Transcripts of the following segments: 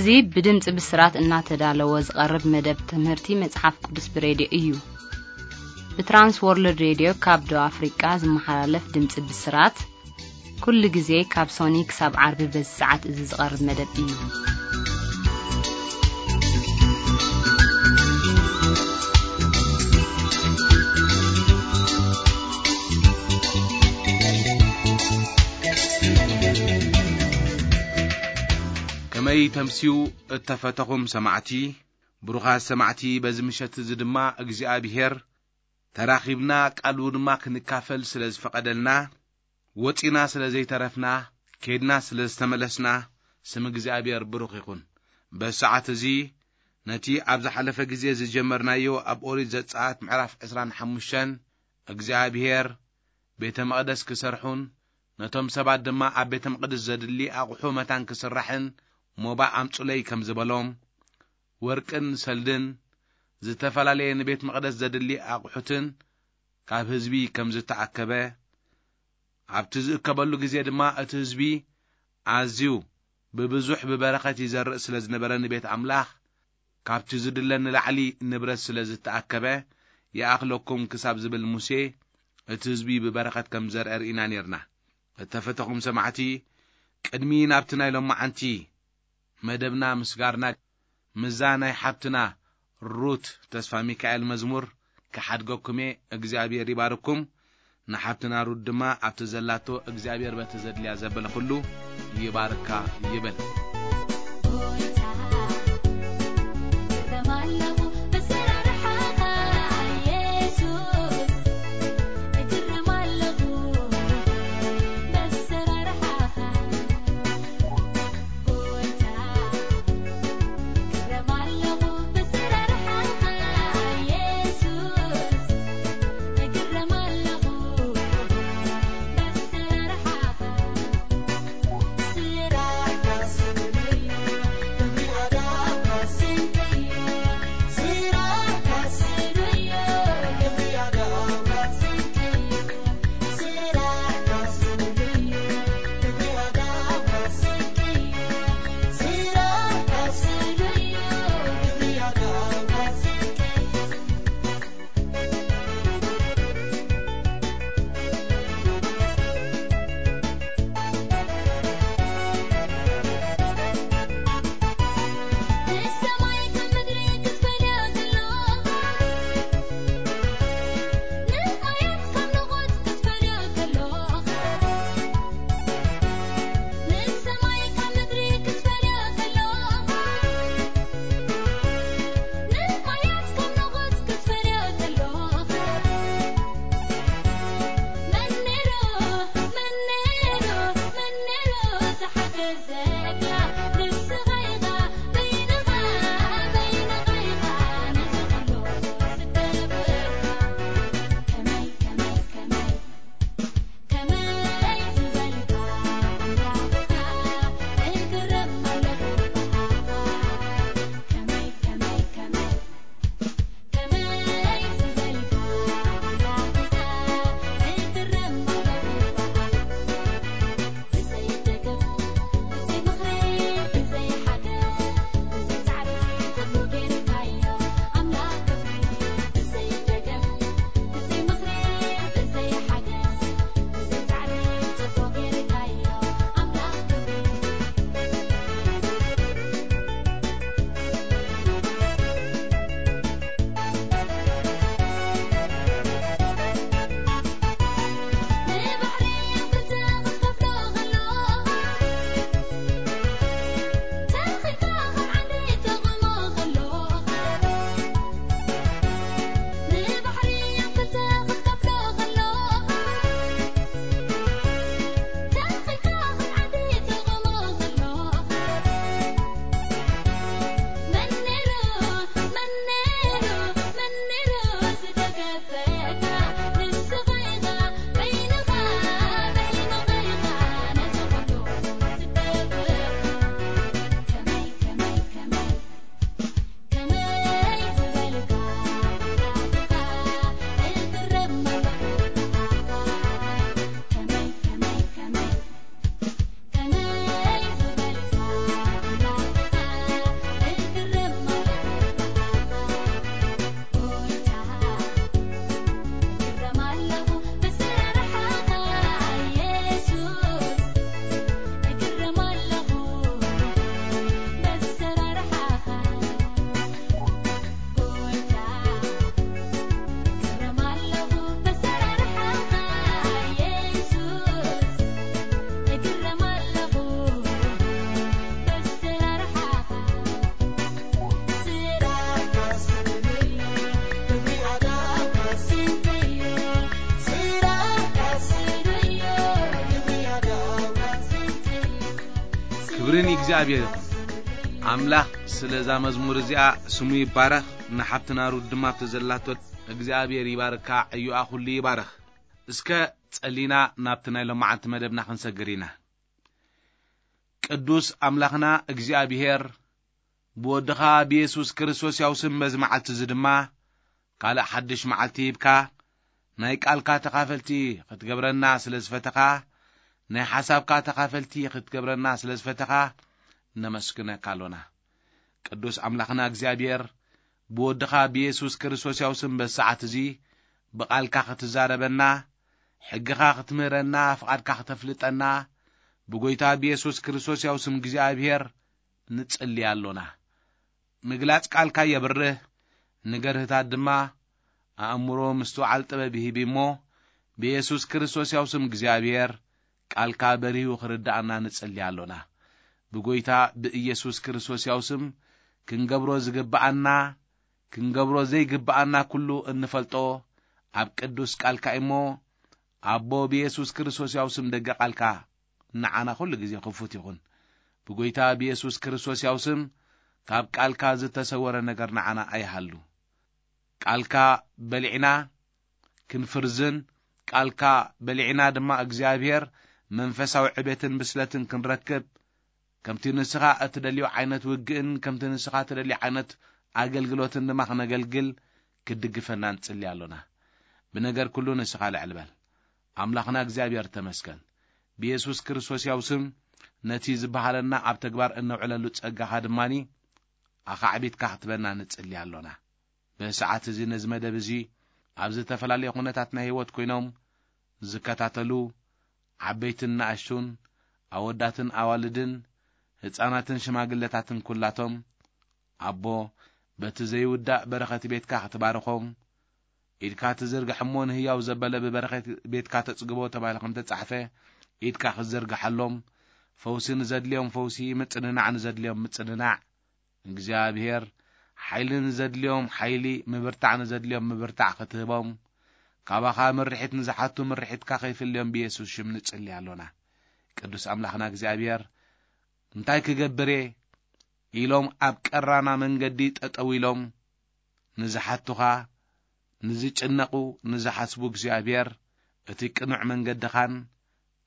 እዚ ብድምጺ ብስራት እናተዳለወ ዝቐርብ መደብ ትምህርቲ መጽሓፍ ቅዱስ ብሬድዮ እዩ። ብትራንስ ወርልድ ሬድዮ ካብ ደቡብ ኣፍሪቃ ዝመሓላለፍ ድምጺ ብስራት፣ ኩሉ ግዜ ካብ ሶኒ ክሳብ ዓርቢ በዚ ሰዓት እዚ ዝቐርብ መደብ እዩ። ከመይ ተምስዩ እተፈተኹም ሰማዕቲ፣ ብሩኻት ሰማዕቲ፣ በዚ ምሸት እዚ ድማ እግዚኣብሔር ተራኺብና ቃሉ ድማ ክንካፈል ስለ ዝፈቐደልና፣ ወጺና ስለ ዘይተረፍና፣ ኬድና ስለ ዝተመለስና፣ ስም እግዚኣብሔር ብሩኽ ይኹን። በዚ ሰዓት እዚ ነቲ ኣብ ዝሓለፈ ግዜ ዝጀመርናዮ ኣብ ኦሪት ዘጸኣት ምዕራፍ ዕስራን ሓሙሽተን እግዚኣብሔር ቤተ መቕደስ ክሰርሑን ነቶም ሰባት ድማ ኣብ ቤተ መቕደስ ዘድሊ ኣቑሑ መታን ክስራሕን ሞባእ ኣምጹለይ ከም ዝበሎም፣ ወርቅን ሰልድን ዝተፈላለየ ንቤት መቕደስ ዘድሊ ኣቑሑትን ካብ ህዝቢ ከም ዝተኣከበ፣ ኣብቲ ዝእከበሉ ግዜ ድማ እቲ ህዝቢ ኣዝዩ ብብዙሕ ብበረኸት ይዘርእ ስለ ዝነበረ ንቤት ኣምላኽ ካብቲ ዝድለ ንላዕሊ ንብረት ስለ ዝተኣከበ፣ ይኣኽለኩም ክሳብ ዝብል ሙሴ እቲ ህዝቢ ብበረኸት ከም ዘርአ ርኢና ኔርና። እተፈተኹም ሰማዕቲ፣ ቅድሚ ናብቲ ናይ ሎማዓንቲ መደብና ምስጋርና፣ ምዛ ናይ ሓብትና ሩት ተስፋ ሚካኤል መዝሙር ክሓድገኩም እየ። እግዚኣብሔር ይባርኩም። ንሓብትና ሩት ድማ ኣብቲ ዘላቶ እግዚኣብሔር በቲ ዘድልያ ዘበለ ኩሉ ይባርካ ይብል። ክብሪ ንእግዚኣብሔር ይኹን። ኣምላኽ ስለ እዛ መዝሙር እዚኣ ስሙ ይባረኽ። ንሓብትና ሩት ድማ ኣብቲ ዘላቶ እግዚኣብሔር ይባርካ፣ ዕዮኣ ኩሉ ይባረኽ። እስከ ጸሊና ናብቲ ናይ ሎማዓንቲ መደብና ክንሰግር ኢና። ቅዱስ ኣምላኽና እግዚኣብሔር፣ ብወድኻ ብየሱስ ክርስቶስ ያው ስም በዚ መዓልቲ እዚ ድማ ካልእ ሓድሽ መዓልቲ ሂብካ፣ ናይ ቃልካ ተኻፈልቲ ክትገብረና ስለ ዝፈተኻ፣ ናይ ሓሳብካ ተኻፈልቲ ክትገብረና ስለ ዝፈተኻ፣ ነመስግነካ ኣሎና። ቅዱስ ኣምላኽና እግዚኣብሔር፣ ብወድኻ ብየሱስ ክርስቶስ ያው ስም በዚ ሰዓት እዚ ብቓልካ ክትዛረበና፣ ሕግኻ ክትምህረና፣ ፍቓድካ ክተፍልጠና፣ ብጎይታ ብየሱስ ክርስቶስ ያው ስም እግዚኣብሔር ንጽሊ ኣሎና። ምግላጽ ቃልካ የብርህ፣ ንገርህታት ድማ ኣእምሮ ምስትውዓል ጥበብ ይህብ እሞ፣ ብየሱስ ክርስቶስ ያው ስም እግዚኣብሔር ቃልካ በሪሁ ክርድኣና ንጽሊ ኣሎና። ብጎይታ ብኢየሱስ ክርስቶስ ያው ስም ክንገብሮ ዝግብኣና፣ ክንገብሮ ዘይግብኣና ኩሉ እንፈልጦ ኣብ ቅዱስ ቃልካ እሞ፣ ኣቦ ብየሱስ ክርስቶስ ያው ስም ደገ ቃልካ ንዓና ኩሉ ግዜ ክፉት ይኹን። ብጎይታ ብየሱስ ክርስቶስ ያው ስም ካብ ቃልካ ዝተሰወረ ነገር ንዓና ኣይሃሉ። ቃልካ በሊዕና ክንፍርዝን፣ ቃልካ በሊዕና ድማ እግዚኣብሔር መንፈሳዊ ዕቤትን ብስለትን ክንረክብ፣ ከምቲ ንስኻ እትደልዮ ዓይነት ውግእን ከምቲ ንስኻ እትደልዮ ዓይነት ኣገልግሎትን ድማ ክነገልግል ክትድግፈና ንጽሊ ኣሎና። ብነገር ኩሉ ንስኻ ልዕል በል። ኣምላኽና እግዚኣብሔር ተመስገን። ብየሱስ ክርስቶስ ያው ስም ነቲ ዝበሃለና ኣብ ተግባር እነውዕለሉ ጸጋኻ ድማኒ ኣኻዕቢትካ ክትበና ንጽሊ ኣሎና። በዚ ሰዓት እዚ ነዚ መደብ እዚ ኣብ ዝተፈላለየ ኩነታት ናይ ህይወት ኮይኖም ዝከታተሉ ዓበይትን ንኣሽቱን፣ ኣወዳትን ኣዋልድን፣ ህጻናትን ሽማግለታትን ኩላቶም፣ ኣቦ፣ በቲ ዘይውዳእ በረኸት ቤትካ ክትባርኾም፣ ኢድካ ትዝርግሕ እሞ ንህያው ዘበለ ብበረኸት ቤትካ ተጽግቦ ተባሂሉ ከም ተጻሕፈ፣ ኢድካ ክትዘርግሐሎም፣ ፈውሲ ንዘድልዮም ፈውሲ፣ ምጽንናዕ ንዘድልዮም ምጽንናዕ፣ እግዚኣብሔር፣ ሓይሊ ንዘድልዮም ሓይሊ፣ ምብርታዕ ንዘድልዮም ምብርታዕ ክትህቦም፣ ካባኻ ምርሒት ንዝሓቱ ምርሒትካ ከይፍልዮም ብየሱስ ሽም ንጽሊ ኣሎና። ቅዱስ ኣምላኽና እግዚኣብሔር፣ እንታይ ክገብር እየ ኢሎም ኣብ ቀራና መንገዲ ጠጠው ኢሎም ንዝሓቱኻ፣ ንዝጭነቑ፣ ንዝሓስቡ እግዚኣብሔር፣ እቲ ቅኑዕ መንገድኻን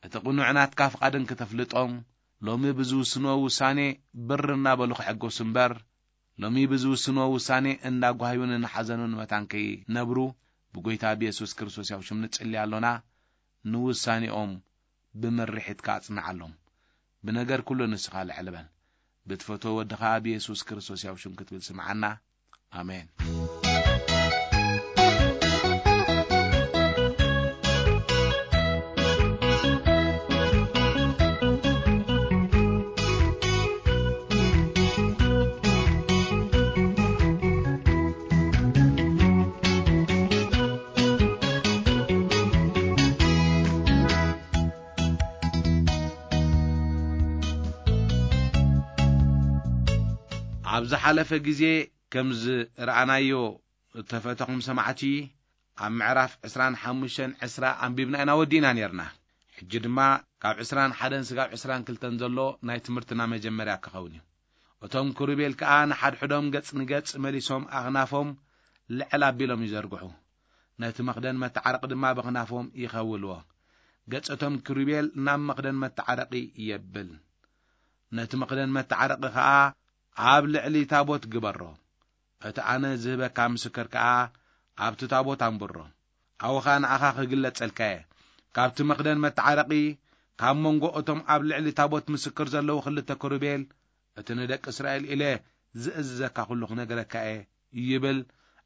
እቲ ቅኑዕ ናትካ ፍቓድን ክተፍልጦም፣ ሎሚ ብዝውስንዎ ውሳኔ ብር እናበሉ ክሕጎሱ እምበር፣ ሎሚ ብዝውስንዎ ውሳኔ እንዳጓህዩን እናሓዘኑን መታን ከይነብሩ፣ ብጎይታ ብየሱስ ክርስቶስ ያው ሽም ንጽሊ ኣሎና። ንውሳኔኦም ብምርሒትካ ኣጽንዓሎም። ብነገር ኩሉ ንስኻ ልዕል በል። ብትፈትዎ ወድኻ ብየሱስ ክርስቶስ ያው ሽም ክትብል ስምዓና። ኣሜን። ኣብ ዝሓለፈ ግዜ ከም ዝረኣናዮ እተፈተኹም ሰማዕቲ፣ ኣብ ምዕራፍ ዕስራን ሓሙሽተን ዕስራ ኣንቢብና ኢና ወዲእና ኔርና። ሕጂ ድማ ካብ ዕስራን ሓደን ስጋብ ዕስራን ክልተን ዘሎ ናይ ትምህርትና መጀመርያ ክኸውን እዩ። እቶም ክሩቤል ከኣ ንሓድሕዶም ገጽ ንገጽ መሊሶም ኣኽናፎም ልዕል ኣቢሎም ይዘርግሑ። ነቲ መኽደን መተዓረቂ ድማ ብኽናፎም ይኸውልዎ። ገጽ እቶም ክሩቤል ናብ መኽደን መተዓረቂ የብል። ነቲ መኽደን መተዓረቂ ኸኣ ኣብ ልዕሊ ታቦት ግበሮ። እቲ ኣነ ዝህበካ ምስክር ከኣ ኣብቲ ታቦት ኣንብሮ። ኣብኡ ኸኣ ንኣኻ ክግለጸልካ እየ። ካብቲ መኽደን መተዓረቂ፣ ካብ መንጎ እቶም ኣብ ልዕሊ ታቦት ምስክር ዘለዉ ክልተ ክሩቤል፣ እቲ ንደቂ እስራኤል ኢለ ዝእዝዘካ ኩሉ ክነግረካ እየ ይብል።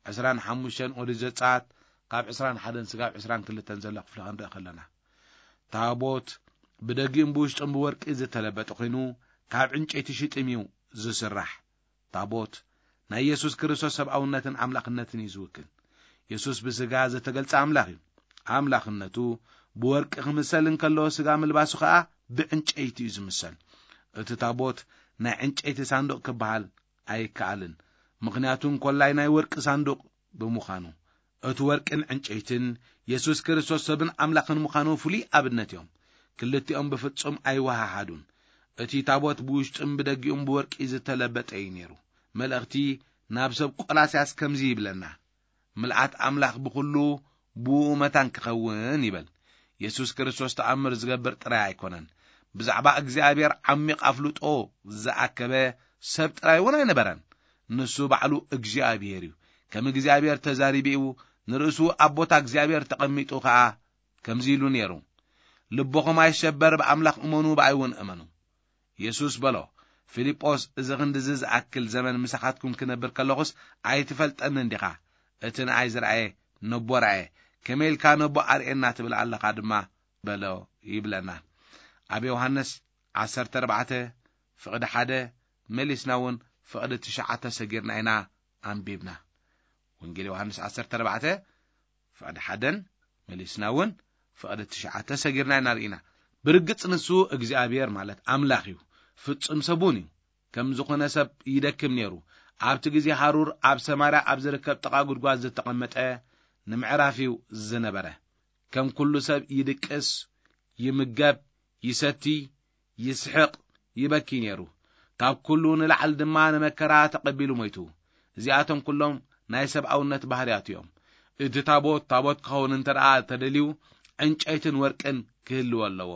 ዕስራን ሓሙሽተን ኦሪት ዘጸኣት ካብ ዕስራን ሓደን ስጋብ ዕስራን ክልተን ዘሎ ክፍሊ ክንርኢ ከለና፣ ታቦት ብደጊኡን ብውሽጡን ብወርቂ ዝተለበጠ ኮይኑ፣ ካብ ዕንጨይቲ ሽጥም እዩ ዝስራሕ። ታቦት ናይ የሱስ ክርስቶስ ሰብኣውነትን ኣምላኽነትን እዩ ዝውክል። የሱስ ብስጋ ዝተገልጸ ኣምላኽ እዩ። ኣምላኽነቱ ብወርቂ ክምሰል እንከሎ፣ ስጋ ምልባሱ ኸኣ ብዕንጨይቲ እዩ ዝምሰል። እቲ ታቦት ናይ ዕንጨይቲ ሳንዱቕ ክበሃል ኣይከኣልን፣ ምኽንያቱ እንኮላይ ናይ ወርቂ ሳንዱቕ ብምዃኑ። እቲ ወርቅን ዕንጨይትን የሱስ ክርስቶስ ሰብን ኣምላኽን ምዃኑ ፍሉይ ኣብነት እዮም። ክልቲኦም ብፍጹም ኣይወሃሃዱን። እቲ ታቦት ብውሽጥን ብደጊኡን ብወርቂ ዝተለበጠ እዩ ነይሩ። መልእኽቲ ናብ ሰብ ቆላስያስ ከምዚ ይብለና፣ ምልኣት ኣምላኽ ብኹሉ ብኡ መታን ክኸውን ይበል። የሱስ ክርስቶስ ተኣምር ዝገብር ጥራይ ኣይኮነን። ብዛዕባ እግዚኣብሔር ዓሚቕ ኣፍልጦ ዝኣከበ ሰብ ጥራይ እውን ኣይነበረን። ንሱ ባዕሉ እግዚኣብሔር እዩ። ከም እግዚኣብሔር ተዛሪቡ እዩ። ንርእሱ ኣብ ቦታ እግዚኣብሔር ተቐሚጡ ኸኣ ከምዚ ኢሉ ነይሩ፣ ልቦኹም ኣይሸበር፣ ብኣምላኽ እመኑ፣ ብኣይ እውን እመኑ። የሱስ በሎ፣ ፊልጶስ፣ እዚ ክንድዚ ዝኣክል ዘመን ምሳኻትኩም ክነብር ከለኹስ ኣይትፈልጠንን ዲኻ? እቲ ንኣይ ዝረኣየ ነቦ ረኣየ። ከመይ ኢልካ ነቦ ኣርእየና ትብል ኣለኻ ድማ በሎ ይብለና። ኣብ ዮሃንስ ዓሰርተ ኣርባዕተ ፍቕዲ ሓደ መሊስና እውን ፍቕዲ ትሽዓተ ሰጊርና ኢና ኣንቢብና። ወንጌል ዮሃንስ ዓሰርተ ኣርባዕተ ፍቕዲ ሓደን መሊስና እውን ፍቕዲ ትሽዓተ ሰጊርና ኢና ርኢና። ብርግጽ ንሱ እግዚኣብሔር ማለት ኣምላኽ እዩ፣ ፍጹም ሰብ እውን እዩ። ከም ዝኾነ ሰብ ይደክም ነይሩ። ኣብቲ ግዜ ሃሩር ኣብ ሰማርያ ኣብ ዝርከብ ጥቓ ጉድጓድ ዝተቐመጠ ንምዕራፍ እዩ ዝነበረ። ከም ኩሉ ሰብ ይድቅስ፣ ይምገብ፣ ይሰቲ፣ ይስሕቕ፣ ይበኪ ነይሩ። ካብ ኩሉ ንላዕሊ ድማ ንመከራ ተቐቢሉ ሞይቱ። እዚኣቶም ኩሎም ናይ ሰብኣውነት ባህርያት እዮም። እቲ ታቦት፣ ታቦት ክኸውን እንተ ደኣ ተደልዩ፣ ዕንጨይትን ወርቅን ክህልዎ ኣለዎ።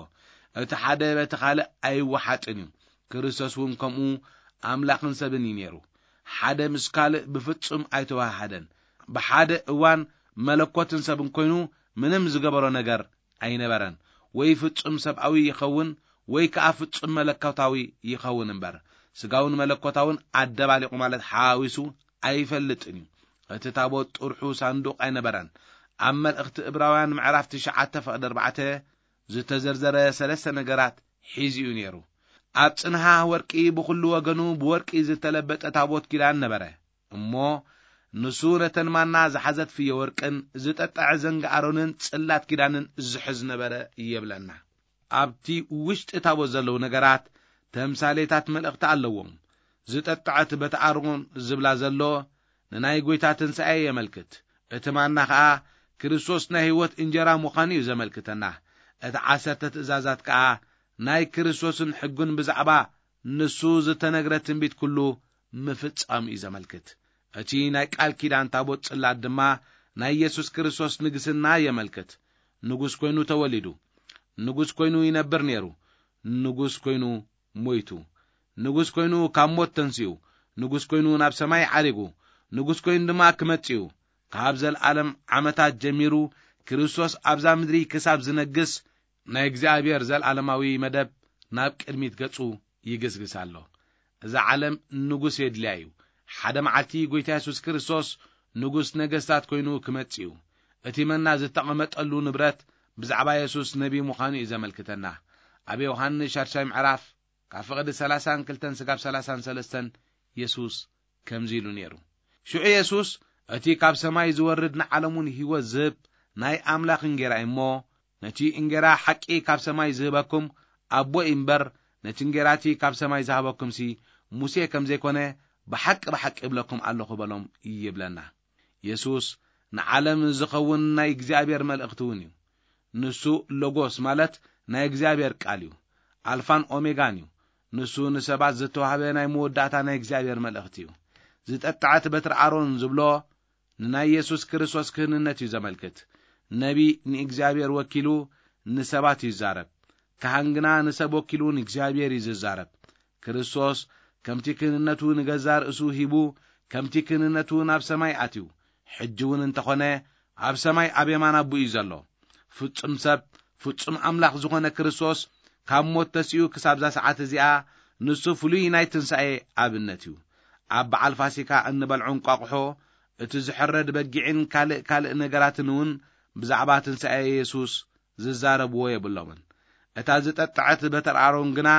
እቲ ሓደ በቲ ካልእ ኣይወሓጥን እዩ። ክርስቶስ እውን ከምኡ ኣምላኽን ሰብን እዩ ነይሩ። ሓደ ምስ ካልእ ብፍጹም ኣይተወሃሃደን። ብሓደ እዋን መለኮትን ሰብን ኮይኑ ምንም ዝገበሮ ነገር ኣይነበረን። ወይ ፍጹም ሰብኣዊ ይኸውን፣ ወይ ከኣ ፍጹም መለኮታዊ ይኸውን እምበር፣ ስጋውን መለኮታውን ኣደባሊቑ ማለት ሓዋዊሱ ኣይፈልጥን እዩ። እቲ ታቦት ጥርሑ ሳንዱቕ ኣይነበረን። ኣብ መልእኽቲ እብራውያን ምዕራፍ ትሽዓተ ፍቕዲ ኣርባዕተ ዝተዘርዘረ ሰለስተ ነገራት ሒዙ እዩ ነይሩ። ኣብ ጽንሃ ወርቂ ብኹሉ ወገኑ ብወርቂ ዝተለበጠ ታቦት ኪዳን ነበረ። እሞ ንሱ ነተን ማና ዝሓዘት ፍየ ወርቅን ዝጠጠዐ ዘንጊ ኣሮንን ጽላት ኪዳንን ዝሕዝ ነበረ ይብለና። ኣብቲ ውሽጢ ታቦት ዘለዉ ነገራት ተምሳሌታት መልእኽቲ ኣለዎም። ዝጠጠዐት በቲ ኣሮን ዝብላ ዘሎ ንናይ ጐይታ ትንሳኤ የመልክት። እቲ ማና ኸኣ ክርስቶስ ናይ ህይወት እንጀራ ምዃኑ እዩ ዘመልክተና። እቲ ዓሰርተ ትእዛዛት ከኣ ናይ ክርስቶስን ሕጉን ብዛዕባ ንሱ ዝተነግረ ትንቢት ኩሉ ምፍጻም እዩ ዘመልክት። እቲ ናይ ቃል ኪዳን ታቦት ጽላት ድማ ናይ የሱስ ክርስቶስ ንግስና የመልክት። ንጉስ ኮይኑ ተወሊዱ። ንጉስ ኮይኑ ይነብር ነይሩ። ንጉስ ኮይኑ ሞይቱ። ንጉስ ኮይኑ ካብ ሞት ተንሲኡ። ንጉስ ኮይኑ ናብ ሰማይ ዓሪጉ። ንጉስ ኮይኑ ድማ ክመጽእ እዩ። ካብ ዘለዓለም ዓመታት ጀሚሩ ክርስቶስ ኣብዛ ምድሪ ክሳብ ዝነግስ ናይ እግዚኣብሔር ዘለዓለማዊ መደብ ናብ ቅድሚት ገጹ ይግስግስ ኣሎ። እዛ ዓለም ንጉስ የድልያ እዩ። ሓደ መዓልቲ ጐይታ የሱስ ክርስቶስ ንጉስ ነገስታት ኮይኑ ክመጽእ እዩ። እቲ መና ዝተቐመጠሉ ንብረት ብዛዕባ የሱስ ነቢ ምዃኑ እዩ ዘመልክተና። ኣብ ዮሃንስ ሻድሻይ ምዕራፍ ካብ ፍቕዲ ሰላሳን ክልተን ስጋብ ሰላሳን ሰለስተን የሱስ ከምዚ ኢሉ ነይሩ። ሽዑ የሱስ፣ እቲ ካብ ሰማይ ዝወርድ ንዓለሙን ህይወት ዝህብ ናይ ኣምላኽ እንጌራ እዩ እሞ፣ ነቲ እንጌራ ሓቂ ካብ ሰማይ ዝህበኩም ኣቦ እዩ እምበር፣ ነቲ እንጌራ እቲ ካብ ሰማይ ዝሃበኩምሲ ሙሴ ከም ዘይኮነ ብሓቂ ብሓቂ እብለኩም ኣለኹ በሎም ይብለና። የሱስ ንዓለም ዝኸውን ናይ እግዚኣብሔር መልእኽቲ እውን እዩ። ንሱ ሎጎስ ማለት ናይ እግዚኣብሔር ቃል እዩ። ኣልፋን ኦሜጋን እዩ። ንሱ ንሰባት ዝተዋህበ ናይ መወዳእታ ናይ እግዚኣብሔር መልእኽቲ እዩ። ዝጠጥዐት በትሪ ኣሮን ዝብሎ ንናይ የሱስ ክርስቶስ ክህንነት እዩ ዘመልክት። ነቢ ንእግዚኣብሔር ወኪሉ ንሰባት እዩ ዝዛረብ። ካህን ግና ንሰብ ወኪሉ ንእግዚኣብሔር እዩ ዝዛረብ። ክርስቶስ ከምቲ ክህንነቱ ንገዛ ርእሱ ሂቡ፣ ከምቲ ክህንነቱ ናብ ሰማይ ኣትዩ፣ ሕጂ እውን እንተኾነ ኣብ ሰማይ ኣብ የማን ኣቦኡ እዩ ዘሎ። ፍጹም ሰብ፣ ፍጹም ኣምላኽ ዝኾነ ክርስቶስ ካብ ሞት ተሲኡ ክሳብዛ ሰዓት እዚኣ፣ ንሱ ፍሉይ ናይ ትንሳኤ ኣብነት እዩ። ኣብ በዓል ፋሲካ እንበልዖ እንቋቑሖ፣ እቲ ዝሕረድ በጊዕን ካልእ ካልእ ነገራትን እውን ብዛዕባ ትንሳኤ የሱስ ዝዛረብዎ የብሎምን። እታ ዝጠጥዐት በትሪ ኣሮን ግና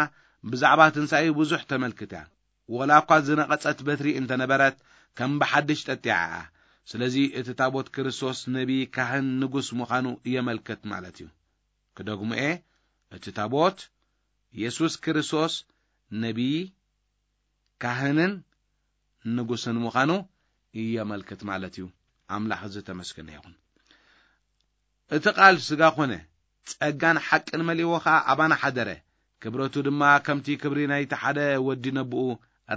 ብዛዕባ ትንሳኤኡ ብዙሕ ተመልክት እያ። ወላ እኳ ዝነቐጸት በትሪ እንተነበረት፣ ከም ብሓድሽ ጠጢዓ እያ። ስለዚ እቲ ታቦት ክርስቶስ ነቢ፣ ካህን፣ ንጉስ ምዃኑ የመልክት ማለት እዩ። ክደግሞ እየ፣ እቲ ታቦት የሱስ ክርስቶስ ነቢ፣ ካህንን ንጉስን ምዃኑ የመልክት ማለት እዩ። ኣምላኽ ዝተመስገነ ይኹን። እቲ ቃል ስጋ ኾነ፣ ጸጋን ሓቅን መሊእዎ ኸኣ ኣባና ሓደረ። ክብረቱ ድማ ከምቲ ክብሪ ናይቲ ሓደ ወዲ ነብኡ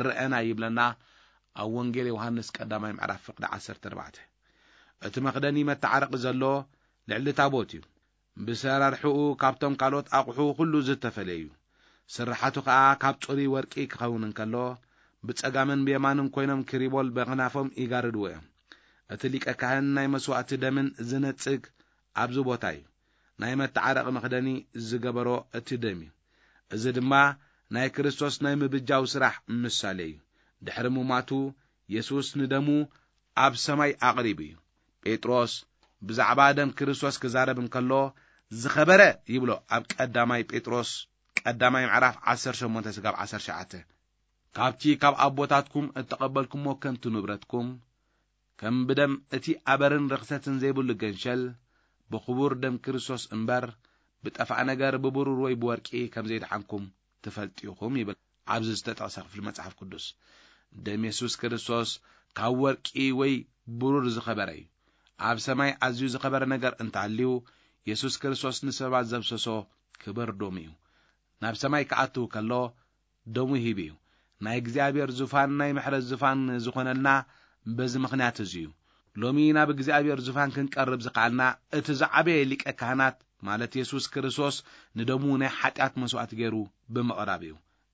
ረኣና ይብለና ኣብ ወንጌል ዮሃንስ ቀዳማይ ምዕራፍ ፍቕዲ ዓሰርተ ኣርባዕተ። እቲ መኽደኒ መተዓረቒ ዘሎ ልዕሊ ታቦት እዩ። ብሰራርሕኡ ካብቶም ካልኦት ኣቑሑ ኩሉ ዝተፈለየ እዩ። ስርሓቱ ኸኣ ካብ ጽሩይ ወርቂ ክኸውን እንከሎ፣ ብጸጋምን ብየማንን ኮይኖም ክሪቦል በኽናፎም ይጋርድዎ እዮም። እቲ ሊቀ ካህን ናይ መስዋእቲ ደምን ዝነጽግ ኣብዚ ቦታ እዩ። ናይ መተዓረቒ መኽደኒ ዝገበሮ እቲ ደም እዩ። እዚ ድማ ናይ ክርስቶስ ናይ ምብጃው ስራሕ ምሳሌ እዩ። ድሕሪ ምማቱ፣ የሱስ ንደሙ ኣብ ሰማይ ኣቕሪቡ እዩ። ጴጥሮስ ብዛዕባ ደም ክርስቶስ ክዛረብ እንከሎ፣ ዝኸበረ ይብሎ ኣብ ቀዳማይ ጴጥሮስ ቀዳማይ ምዕራፍ ዓሰርተ ሸሞንተ ስጋብ ዓሰርተ ትሽዓተ። ካብቲ ካብ ኣቦታትኩም እተቐበልኩሞ ከንቱ ንብረትኩም፣ ከም ብደም እቲ ኣበርን ርኽሰትን ዘይብሉ ገንሸል፣ ብኽቡር ደም ክርስቶስ እምበር፣ ብጠፋእ ነገር ብብሩር ወይ ብወርቂ ከም ዘይደሓንኩም ትፈልጡ ኢኹም ይብል ኣብዚ ዝተጠቕሰ ክፍሊ መጽሓፍ ቅዱስ። ደም የሱስ ክርስቶስ ካብ ወርቂ ወይ ብሩር ዝኸበረ እዩ። ኣብ ሰማይ ኣዝዩ ዝኸበረ ነገር እንተሃልዩ፣ የሱስ ክርስቶስ ንሰባት ዘፍሰሶ ክቡር ደሙ እዩ። ናብ ሰማይ ክኣትው ከሎ ደሙ ሂቡ እዩ። ናይ እግዚኣብሔር ዙፋን ናይ ምሕረት ዙፋን ዝኾነልና በዚ ምኽንያት እዚ እዩ። ሎሚ ናብ እግዚኣብሔር ዙፋን ክንቀርብ ዝኸኣልና እቲ ዝዓበየ ሊቀ ካህናት ማለት የሱስ ክርስቶስ ንደሙ ናይ ሓጢኣት መስዋእቲ ገይሩ ብምቕራብ እዩ።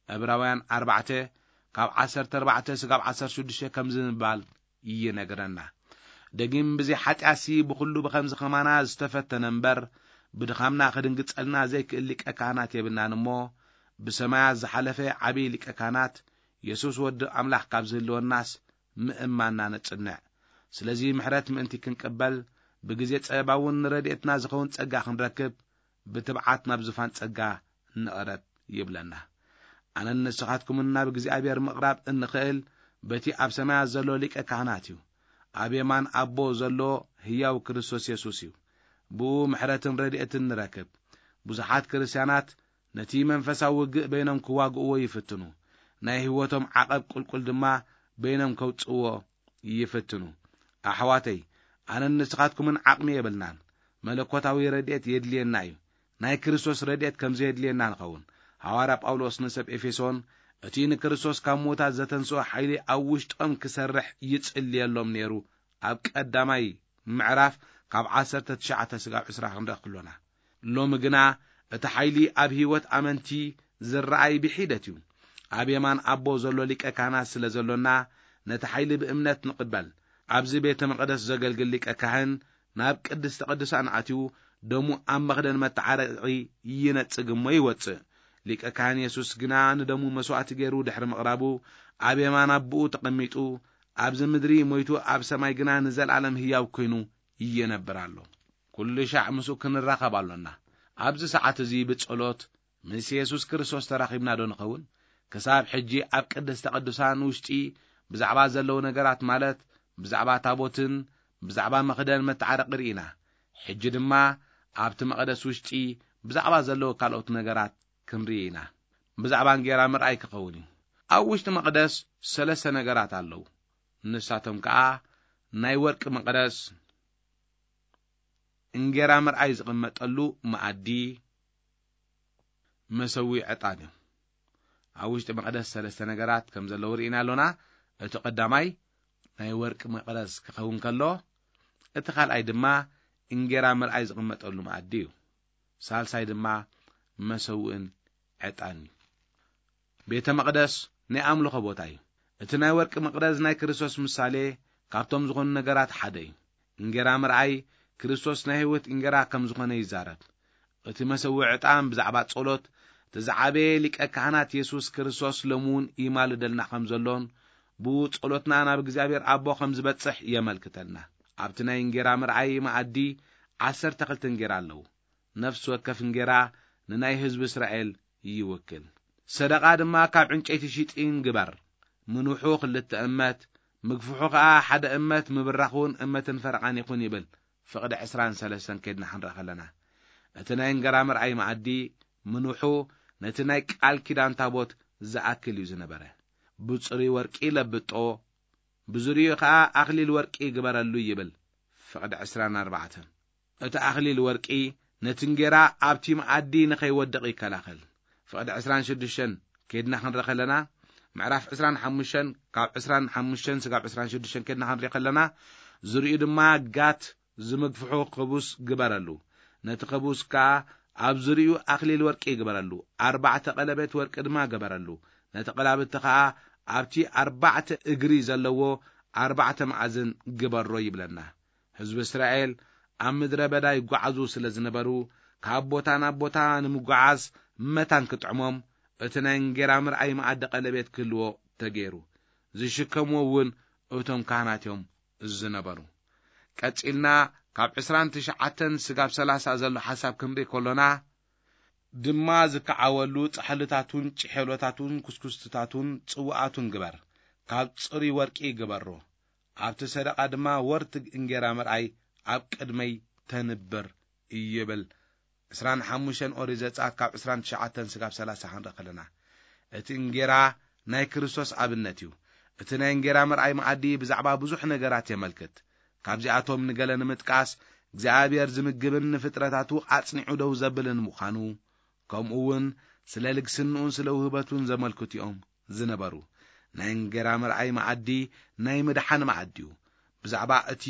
ዕብራውያን ኣርባዕተ ካብ ዓሰርተ ኣርባዕተ ስጋብ ዓሰርተ ሽዱሽተ ከምዚ ምባል ይነግረና። ደጊም ብዘይ ሓጢኣትሲ ብኹሉ ብኸምዚ ከማና ዝተፈተነ እምበር፣ ብድኻምና ክድንግጸልና ዘይክእል ሊቀ ካህናት የብልናን እሞ፣ ብሰማያት ዝሓለፈ ዓብዪ ሊቀ ካህናት የሱስ ወዲ ኣምላኽ ካብ ዝህልወናስ ምእማንና ነጽንዕ። ስለዚ ምሕረት ምእንቲ ክንቅበል፣ ብግዜ ጸበባ እውን ንረድኤትና ዝኸውን ጸጋ ክንረክብ፣ ብትብዓት ናብ ዝፋን ጸጋ ንቕረብ ይብለና። ኣነን ንስኻትኩምን ናብ እግዚኣብሔር ምቕራብ እንኽእል በቲ ኣብ ሰማያት ዘሎ ሊቀ ካህናት እዩ። ኣብ የማን ኣቦ ዘሎ ህያው ክርስቶስ የሱስ እዩ። ብኡ ምሕረትን ረድኤትን ንረክብ። ብዙሓት ክርስትያናት ነቲ መንፈሳዊ ውግእ በይኖም ክዋግእዎ ይፍትኑ። ናይ ህይወቶም ዓቐብ ቁልቁል ድማ በይኖም ከውጽእዎ ይፍትኑ። ኣሕዋተይ፣ ኣነን ንስኻትኩምን ዓቕሚ የብልናን። መለኮታዊ ረድኤት የድልየና እዩ። ናይ ክርስቶስ ረድኤት ከም ዘየድልየና ንኸውን። ሃዋርያ ጳውሎስ ንሰብ ኤፌሶን፣ እቲ ንክርስቶስ ካብ ምዉታት ዘተንስኦ ሓይሊ ኣብ ውሽጦም ክሰርሕ ይጽልየሎም ነይሩ፣ ኣብ ቀዳማይ ምዕራፍ ካብ ዓሰርተ ትሽዓተ ስጋብ ዕስራ ክንረኽ ክሎና። ሎሚ ግና እቲ ሓይሊ ኣብ ህይወት ኣመንቲ ዝረኣይ ብሒደት እዩ። ኣብ የማን ኣቦ ዘሎ ሊቀ ካህናት ስለ ዘሎና፣ ነቲ ሓይሊ ብእምነት ንቕበል። ኣብዚ ቤተ መቕደስ ዘገልግል ሊቀ ካህን ናብ ቅድስተ ቅዱሳን ኣትዩ፣ ደሙ ኣብ መኽደን መተዓረቒ ይነጽግ እሞ ይወጽእ። ሊቀ ካህን የሱስ ግና ንደሙ መስዋእቲ ገይሩ ድሕሪ ምቕራቡ፣ ኣብ የማን ኣቦኡ ተቐሚጡ፣ ኣብዚ ምድሪ ሞይቱ ኣብ ሰማይ ግና ንዘለኣለም ህያው ኮይኑ ይነብር ኣሎ። ኩሉ ሻዕ ምስኡ ክንራኸብ ኣሎና። ኣብዚ ሰዓት እዚ ብጸሎት ምስ የሱስ ክርስቶስ ተራኺብና ዶ ንኸውን? ክሳብ ሕጂ ኣብ ቅድስተ ቅዱሳን ውሽጢ ብዛዕባ ዘለዉ ነገራት፣ ማለት ብዛዕባ ታቦትን ብዛዕባ መኽደን መተዓረቒ ርኢና። ሕጂ ድማ ኣብቲ መቕደስ ውሽጢ ብዛዕባ ዘለዉ ካልኦት ነገራት ክንርኢ ኢና። ብዛዕባ እንጌራ ምርኣይ ክኸውን እዩ። ኣብ ውሽጢ መቕደስ ሰለስተ ነገራት ኣለዉ። ንሳቶም ከኣ ናይ ወርቂ መቕደስ፣ እንጌራ ምርኣይ ዝቕመጠሉ መኣዲ፣ መሰዊ ዕጣን እዩ። ኣብ ውሽጢ መቕደስ ሰለስተ ነገራት ከም ዘለዉ ርኢና ኣሎና። እቲ ቀዳማይ ናይ ወርቂ መቕደስ ክኸውን ከሎ፣ እቲ ካልኣይ ድማ እንጌራ ምርኣይ ዝቕመጠሉ መኣዲ እዩ። ሳልሳይ ድማ መሰውእን ዕጣን እዩ። ቤተ መቕደስ ናይ ኣምልኾ ቦታ እዩ። እቲ ናይ ወርቂ መቕደስ ናይ ክርስቶስ ምሳሌ ካብቶም ዝኾኑ ነገራት ሓደ እዩ። እንጌራ ምርኣይ ክርስቶስ ናይ ህይወት እንጌራ ከም ዝኾነ ይዛረብ። እቲ መሰዊ ዕጣን ብዛዕባ ጸሎት እቲ ዝዓበየ ሊቀ ካህናት የሱስ ክርስቶስ ሎሚ እውን ይማልደልና ከም ዘሎን ብኡ ጸሎትና ናብ እግዚኣብሔር ኣቦ ከም ዝበጽሕ የመልክተልና። ኣብቲ ናይ እንጌራ ምርኣይ መኣዲ ዓሰርተ ክልተ እንጌራ ኣለዉ። ነፍሲ ወከፍ እንጌራ ንናይ ህዝቢ እስራኤል ይውክል። ሰደቓ ድማ ካብ ዕንጨይቲ ሽጢን ግበር። ምንውሑ ክልተ እመት፣ ምግፍሑ ኸኣ ሓደ እመት፣ ምብራኹን እመትን ፈረቓን ይኹን ይብል ፍቕዲ ዕስራን ሰለስተን ከድና ክንርኢ ከለና። እቲ ናይ እንጌራ ምርኣይ መኣዲ ምንውሑ ነቲ ናይ ቃል ኪዳን ታቦት ዝኣክል እዩ ዝነበረ። ብጽሩይ ወርቂ ለብጦ፣ ብዙርይኡ ኸኣ ኣኽሊል ወርቂ ግበረሉ ይብል ፍቕዲ ዕስራን ኣርባዕተን። እቲ ኣኽሊል ወርቂ ነቲ እንጌራ ኣብቲ መኣዲ ንኸይወድቕ ይከላኸል። ፍቕዲ ዕስራን ሽዱሽተን ኬድና ክንርኢ ከለና፣ ምዕራፍ ዕስራን ሓሙሽተን ካብ ዕስራን ሓሙሽተን ስጋብ ዕስራን ሽዱሽተን ኬድና ክንርኢ ከለና፣ ዝርእዩ ድማ ጋት ዝምግፍሑ ክቡስ ግበረሉ። ነቲ ክቡስ ከኣ ኣብ ዝርእዩ ኣኽሊል ወርቂ ግበረሉ። ኣርባዕተ ቀለቤት ወርቂ ድማ ግበረሉ። ነቲ ቀላብቲ ከኣ ኣብቲ ኣርባዕተ እግሪ ዘለዎ ኣርባዕተ መኣዝን ግበሮ ይብለና። ህዝቢ እስራኤል ኣብ ምድረ በዳ ይጓዓዙ ስለ ዝነበሩ፣ ካብ ቦታ ናብ ቦታ ንምጓዓዝ መታን ክጥዕሞም፣ እቲ ናይ እንጌራ ምርኣይ መኣዲ ቀለቤት ክህልዎ ተገይሩ። ዝሽከምዎ እውን እቶም ካህናት እዮም ዝነበሩ። ቀጺልና ካብ ዕስራን ትሽዓተን ስጋብ ሰላሳ ዘሎ ሓሳብ ክንርኢ ከሎና፣ ድማ ዝከዓወሉ ጻሕልታቱን ጭሔሎታቱን ኩስኩስትታቱን ጽዋኣቱን ግበር፣ ካብ ጽሩይ ወርቂ ግበሮ። ኣብቲ ሰደቓ ድማ ወርትግ እንጌራ ምርኣይ ኣብ ቅድመይ ተንብር ይብል። ዕስራን ሓሙሽተን ኦሪት ዘጸኣት ካብ ዕስራን ትሽዓተን ስጋብ ሰላሳ ክንርኢ ከለና፣ እቲ እንጌራ ናይ ክርስቶስ ኣብነት እዩ። እቲ ናይ እንጌራ ምርኣይ መኣዲ ብዛዕባ ብዙሕ ነገራት የመልክት። ካብዚኣቶም ንገለ ንምጥቃስ፣ እግዚኣብሔር ዝምግብን ንፍጥረታቱ ኣጽኒዑ ደው ዘብልን ምዃኑ፣ ከምኡ እውን ስለ ልግስንኡን ስለ ውህበቱን ዘመልክቱ እዮም ዝነበሩ። ናይ እንጌራ ምርኣይ መኣዲ ናይ ምድሓን መኣዲ እዩ። ብዛዕባ እቲ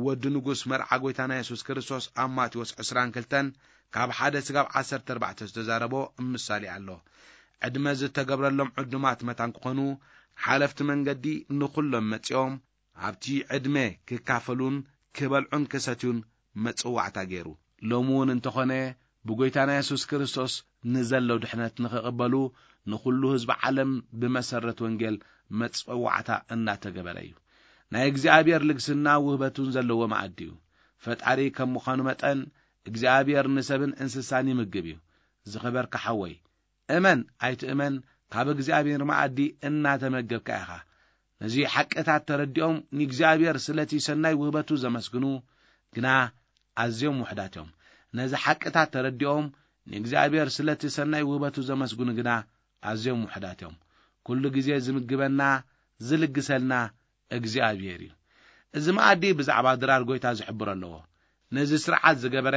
ወዲ ንጉስ መርዓ ጐይታና የሱስ ክርስቶስ ኣብ ማቴዎስ ዕስራን ክልተን ካብ ሓደ ስጋብ ዓሰርተ ኣርባዕተ ዝተዛረቦ ምሳሌ ኣሎ። ዕድመ ዝተገብረሎም ዕዱማት መታን ክኾኑ፣ ሓለፍቲ መንገዲ ንኹሎም መጺኦም ኣብቲ ዕድመ ክካፈሉን ክበልዑን ክሰትዩን መጽዋዕታ ገይሩ። ሎሚ እውን እንተኾነ ብጐይታና የሱስ ክርስቶስ ንዘሎ ድሕነት ንኽቕበሉ ንኹሉ ህዝቢ ዓለም ብመሰረት ወንጌል መጸዋዕታ እናተገበረ እዩ። ናይ እግዚኣብሔር ልግስና ውህበቱን ዘለዎ መኣዲ እዩ። ፈጣሪ ከም ምዃኑ መጠን እግዚኣብሔር ንሰብን እንስሳን ይምግብ እዩ። ዝኸበርካ ሓወይ፣ እመን ኣይትእመን፣ ካብ እግዚኣብሔር መኣዲ እናተመገብካ ኢኻ። ነዚ ሓቅታት ተረዲኦም ንእግዚኣብሔር ስለቲ ሰናይ ውህበቱ ዘመስግኑ ግና ኣዝዮም ውሑዳት እዮም። ነዚ ሓቅታት ተረዲኦም ንእግዚኣብሔር ስለቲ ሰናይ ውህበቱ ዘመስግኑ ግና ኣዝዮም ውሑዳት እዮም። ኩሉ ግዜ ዝምግበና፣ ዝልግሰልና እግዚኣብሔር እዩ። እዚ መኣዲ ብዛዕባ ድራር ጐይታ ዝሕብር ኣለዎ። ነዚ ስርዓት ዝገበረ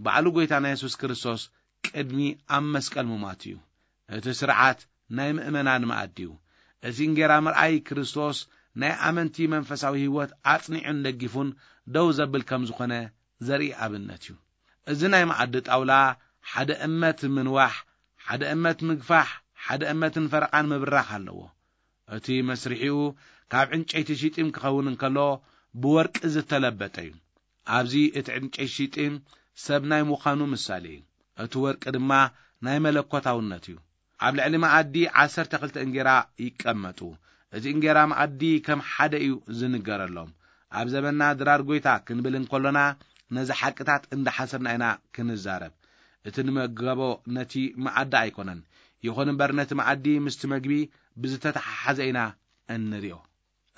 ባዕሉ ጐይታና የሱስ ክርስቶስ ቅድሚ ኣብ መስቀል ምማቱ እዩ። እቲ ስርዓት ናይ ምእመናን መኣዲ እዩ። እቲ እንጌራ ምርኣይ ክርስቶስ ናይ ኣመንቲ መንፈሳዊ ህይወት ኣጽኒዑን ደጊፉን ደው ዘብል ከም ዝኾነ ዘርኢ ኣብነት እዩ። እዚ ናይ መኣዲ ጣውላ ሓደ እመት ምንዋሕ፣ ሓደ እመት ምግፋሕ፣ ሓደ እመትን ፈረቓን ምብራኽ ኣለዎ። እቲ መስርሒኡ ካብ ዕንጨይቲ ሽጢም ክኸውን እንከሎ፣ ብወርቂ ዝተለበጠ እዩ። ኣብዚ እቲ ዕንጨይቲ ሽጢም ሰብ ናይ ምዃኑ ምሳሌ እዩ። እቲ ወርቂ ድማ ናይ መለኮታውነት እዩ። ኣብ ልዕሊ መኣዲ ዓሰርተ ክልተ እንጌራ ይቀመጡ። እቲ እንጌራ መኣዲ ከም ሓደ እዩ ዝንገረሎም። ኣብ ዘበንና ድራር ጐይታ ክንብል እንከሎና፣ ነዚ ሓቅታት እንዳሓሰብና ኢና ክንዛረብ። እቲ ንመገቦ ነቲ መኣዲ ኣይኮነን። ይኹን እምበር ነቲ መኣዲ ምስቲ መግቢ ብዝተተሓሓዘ ኢና እንርእዮ።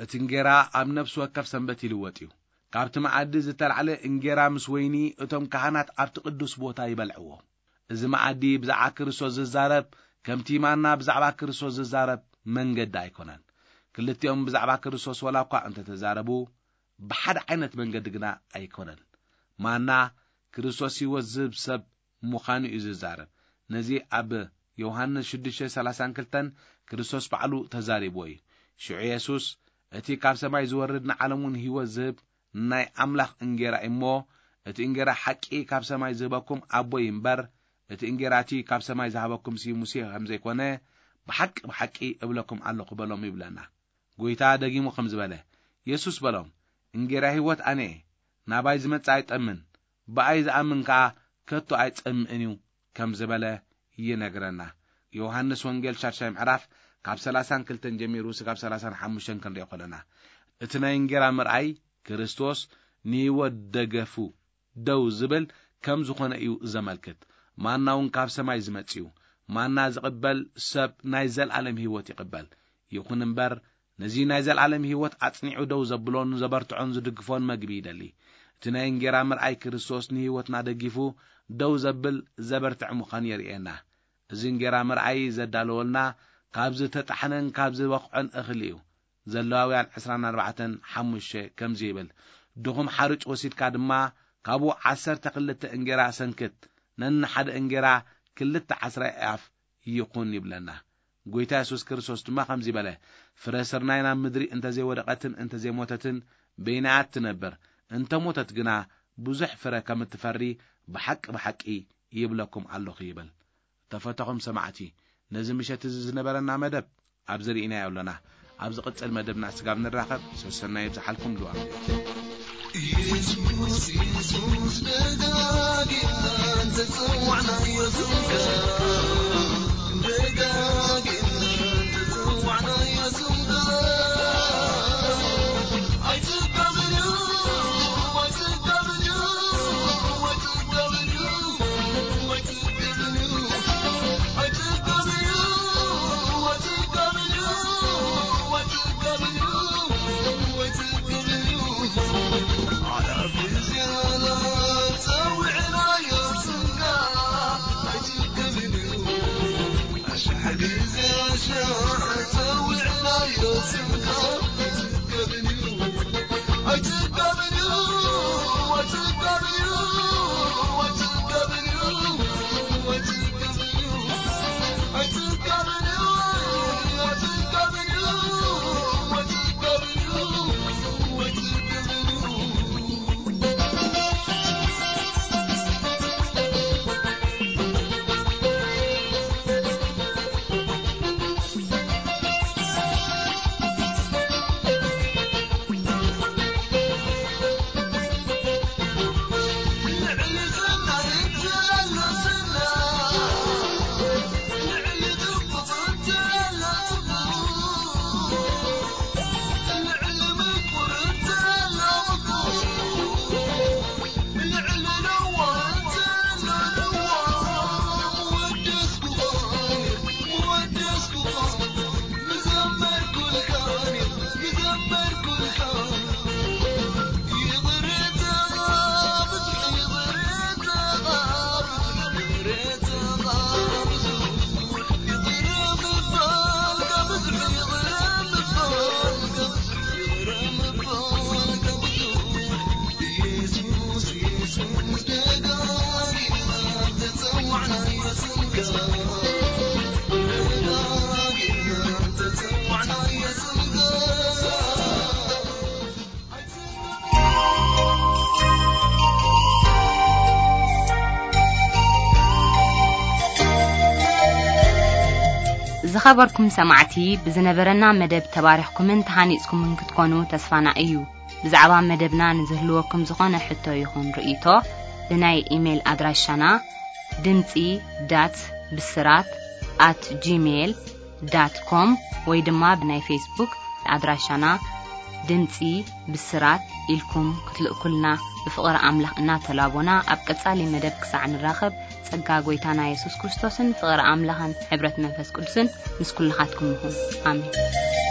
እቲ እንጌራ ኣብ ነፍሲ ወከፍ ሰንበት ይልወጥ እዩ። ካብቲ መኣዲ ዝተላዕለ እንጌራ ምስ ወይኒ እቶም ካህናት ኣብቲ ቅዱስ ቦታ ይበልዕዎ። እዚ መኣዲ ብዛዕባ ክርስቶስ ዝዛረብ፣ ከምቲ ማና ብዛዕባ ክርስቶስ ዝዛረብ መንገዲ ኣይኮነን። ክልቲኦም ብዛዕባ ክርስቶስ ዋላ እኳ እንተተዛረቡ፣ ብሓደ ዓይነት መንገዲ ግና ኣይኮነን። ማና ክርስቶስ ህይወት ዝህብ ሰብ ምዃኑ እዩ ዝዛረብ። ነዚ ኣብ ዮሃንስ ሽዱሽተ ሰላሳን ክልተን ክርስቶስ ባዕሉ ተዛሪብዎ እዩ። ሽዑ የሱስ፣ "እቲ ካብ ሰማይ ዝወርድ ንዓለም እውን ህይወት ዝህብ ናይ ኣምላኽ እንጌራ እዩ እሞ፣ እቲ እንጌራ ሓቂ ካብ ሰማይ ዝህበኩም ኣቦይ እምበር፣ እቲ እንጌራ እቲ ካብ ሰማይ ዝሃበኩም ሲ ሙሴ ከም ዘይኮነ፣ ብሓቂ ብሓቂ እብለኩም ኣለኹ" በሎም ይብለና። ጐይታ ደጊሙ ከም ዝበለ፣ የሱስ በሎም፣ "እንጌራ ህይወት ኣነ እየ፣ ናባይ ዝመጽእ ኣይጠምን፣ ብኣይ ዝኣምን ከኣ ከቶ ኣይጸምእን እዩ" ከም ዝበለ ይነግረና። ዮሃንስ ወንጌል ሻድሻይ ምዕራፍ ካብ ሰላሳን ክልተን ጀሚሩ ስጋብ ሰላሳን ሓሙሽተን ክንሪኦ ከለና፣ እቲ ናይ እንጌራ ምርኣይ ክርስቶስ ንህይወት ደገፉ ደው ዝብል ከም ዝኾነ እዩ ዘመልክት። ማና እውን ካብ ሰማይ ዝመጽእ እዩ። ማና ዝቕበል ሰብ ናይ ዘለኣለም ህይወት ይቕበል። ይኹን እምበር፣ ነዚ ናይ ዘለኣለም ህይወት ኣጽኒዑ ደው ዘብሎን ዘበርትዖን ዝድግፎን መግቢ ይደሊ። እቲ ናይ እንጌራ ምርኣይ ክርስቶስ ንህይወትና ደጊፉ ደው ዘብል ዘበርትዕ ምዃኑ የርእየና። እዚ እንጌራ ምርኣይ ዘዳለወልና ካብ ዝተጣሕነን ካብ ዝበቕዖን እኽሊ እዩ። ዘለዋውያን ዕስራን ኣርባዕተን ሓሙሽተ ከምዚ ይብል፣ "ድኹም ሓርጭ ወሲድካ ድማ ካብኡ ዓሰርተ ክልተ እንጌራ ሰንክት፣ ነንሓደ እንጌራ ክልተ ዓስራይ ኣፍ ይኹን ይብለና። ጎይታ የሱስ ክርስቶስ ድማ ከምዚ በለ፣ "ፍረ ስርናይ ናብ ምድሪ እንተዘይወደቐትን እንተዘይሞተትን በይናያ ትነብር፣ እንተሞተት ግና ብዙሕ ፍረ ከም እትፈሪ ብሓቂ ብሓቂ ይብለኩም ኣለኹ" ይብል። ተፈተኹም ሰማዕቲ፣ ነዚ ምሸት እዚ ዝነበረና መደብ ኣብዚ ርኢናዮ ኣለና። ኣብ ዝቕጽል መደብና ስጋብ ንራኸብ፣ ሰሰናይ ይብዝሓልኩም። ድዋ ኢየሱስ፣ ኢየሱስ፣ ደጋጊምና እንተጸዋዕናዮ ስምካ፣ ደጋጊምና እንተጸዋዕናዮ ስምካ፣ ኣይትቀበልዩ፣ ኣይትቀበልዩ፣ ኣይትቀበልዩ። ዝኸበርኩም ሰማዕቲ፣ ብዝነበረና መደብ ተባሪኽኩምን ተሃኒጽኩምን ክትኮኑ ተስፋና እዩ። ብዛዕባ መደብና ንዝህልወኩም ዝኾነ ሕቶ ይኹን ርእይቶ፣ ብናይ ኢሜይል ኣድራሻና ድምጺ ዳት ብስራት ኣት ጂሜይል ዳት ኮም ወይ ድማ ብናይ ፌስቡክ ኣድራሻና ድምጺ ብስራት ኢልኩም ክትልእኩልና ብፍቕሪ ኣምላኽ እናተላቦና፣ ኣብ ቀጻሊ መደብ ክሳዕ ንራኸብ፣ ጸጋ ጎይታና የሱስ ክርስቶስን ፍቕሪ ኣምላኽን ሕብረት መንፈስ ቅዱስን ምስ ኩልኻትኩም ይኹን። ኣሜን።